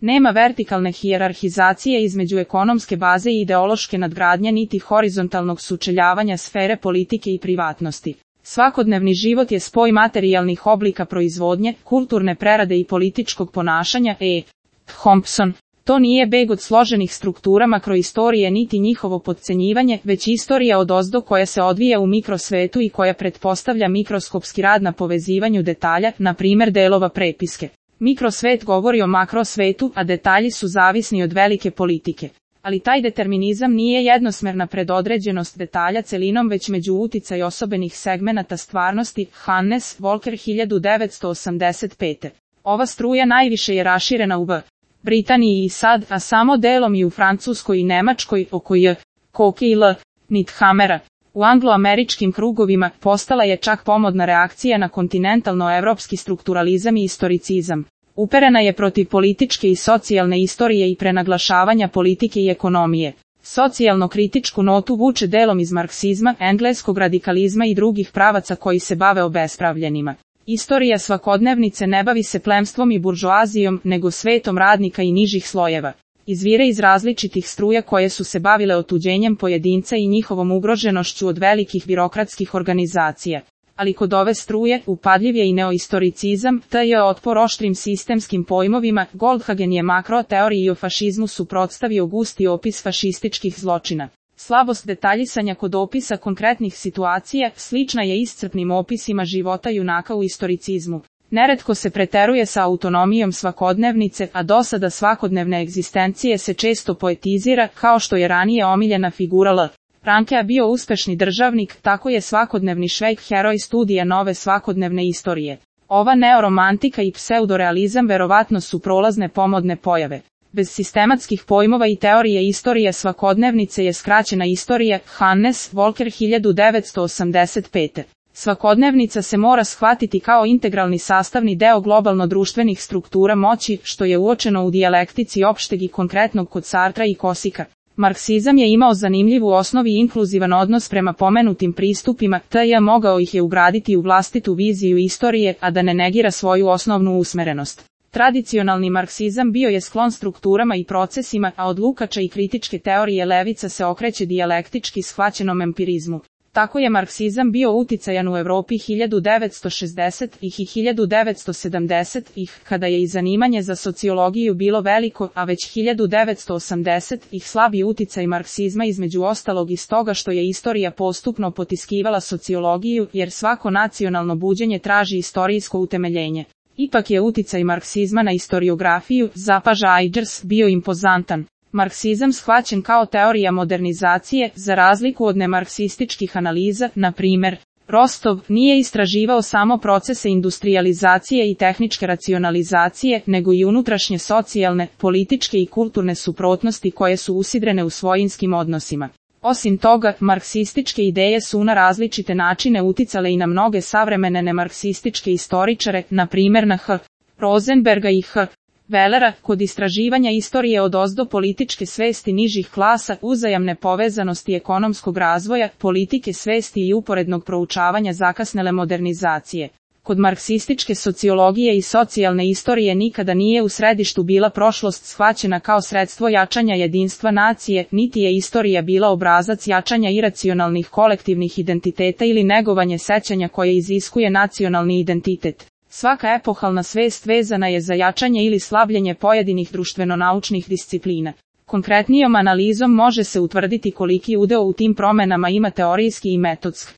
Nema vertikalne hijerarhizacije između ekonomske baze i ideološke nadgradnje niti horizontalnog sučeljavanja sfere politike i privatnosti. Svakodnevni život je spoj materijalnih oblika proizvodnje, kulturne prerade i političkog ponašanja. Thompson. To nije beg od složenih struktura makroistorije niti njihovo potcenjivanje, već istorija odozdo koja se odvija u mikrosvetu i koja pretpostavlja mikroskopski rad na povezivanju detalja, na primjer delova prepiske. Mikrosvet govori o makrosvetu, a detalji su zavisni od velike politike. Ali taj determinizam nije jednosmerna predodređenost detalja celinom već među uticaj osobenih segmenata stvarnosti. Hannes Walker 1985. Ova struja najviše je raširena u Britaniji i sad, a samo delom i u Francuskoj i Nemačkoj, oko Koke i Nithamera. U angloameričkim krugovima postala je čak pomodna reakcija na kontinentalno-evropski strukturalizam i istoricizam. Uperena je protiv političke i socijalne istorije i prenaglašavanja politike i ekonomije. Socijalno-kritičku notu vuče delom iz marksizma, engleskog radikalizma i drugih pravaca koji se bave obespravljenima. Istorija svakodnevnice ne bavi se plemstvom i buržoazijom, nego svetom radnika i nižih slojeva. Izvire iz različitih struja koje su se bavile otuđenjem pojedinca i njihovom ugroženošću od velikih birokratskih organizacija. Ali kod ove struje, upadljiv je i neoistoricizam, te je otpor oštrim sistemskim pojmovima. Goldhagen je makroteoriji o fašizmu suprotstavio gusti opis fašističkih zločina. Slabost detaljisanja kod opisa konkretnih situacija slična je iscrpnim opisima života junaka u istoricizmu. Neretko se preteruje sa autonomijom svakodnevnice, a dosada svakodnevne egzistencije se često poetizira, kao što je ranije omiljena figura Rankea bio uspešni državnik, tako je svakodnevni Švejk heroj studija nove svakodnevne istorije. Ova neoromantika i pseudorealizam verovatno su prolazne pomodne pojave. Bez sistematskih pojmova i teorije istorije svakodnevnice je skraćena istorija. Hannes Walker 1985. Svakodnevnica se mora shvatiti kao integralni sastavni deo globalno-društvenih struktura moći, što je uočeno u dijalektici opšteg i konkretnog kod Sartra i Kosika. Marksizam je imao zanimljivu osnovu i inkluzivan odnos prema pomenutim pristupima, te je mogao ih je ugraditi u vlastitu viziju istorije, a da ne negira svoju osnovnu usmerenost. Tradicionalni marksizam bio je sklon strukturama i procesima, a od Lukača i kritičke teorije levica se okreće dijalektički shvaćenom empirizmu. Tako je marksizam bio uticajan u Evropi 1960-ih i 1970-ih, kada je i zanimanje za sociologiju bilo veliko, a već 1980-ih slabi uticaj marksizma između ostalog iz toga što je istorija postupno potiskivala sociologiju, jer svako nacionalno buđenje traži istorijsko utemeljenje. Ipak je uticaj marksizma na historiografiju, zapaža Eidgers, bio impozantan. Marksizam shvaćen kao teorija modernizacije, za razliku od nemarksističkih analiza, na primjer, Rostov nije istraživao samo procese industrijalizacije i tehničke racionalizacije, nego i unutrašnje socijalne, političke i kulturne suprotnosti koje su usidrene u svojinskim odnosima. Osim toga, marksističke ideje su na različite načine uticale i na mnoge savremene nemarksističke istoričare, na primjer na H. Rosenberga i H. Wellera. Kod istraživanja istorije odozdo političke svesti nižih klasa, uzajamne povezanosti ekonomskog razvoja, politike svesti i uporednog proučavanja zakasnele modernizacije. Kod marksističke sociologije i socijalne istorije nikada nije u središtu bila prošlost shvaćena kao sredstvo jačanja jedinstva nacije, niti je istorija bila obrazac jačanja iracionalnih kolektivnih identiteta ili negovanje sećanja koje iziskuje nacionalni identitet. Svaka epohalna svest vezana je za jačanje ili slabljenje pojedinih društveno-naučnih disciplina. Konkretnijom analizom može se utvrditi koliki udeo u tim promenama ima teorijski i metodski.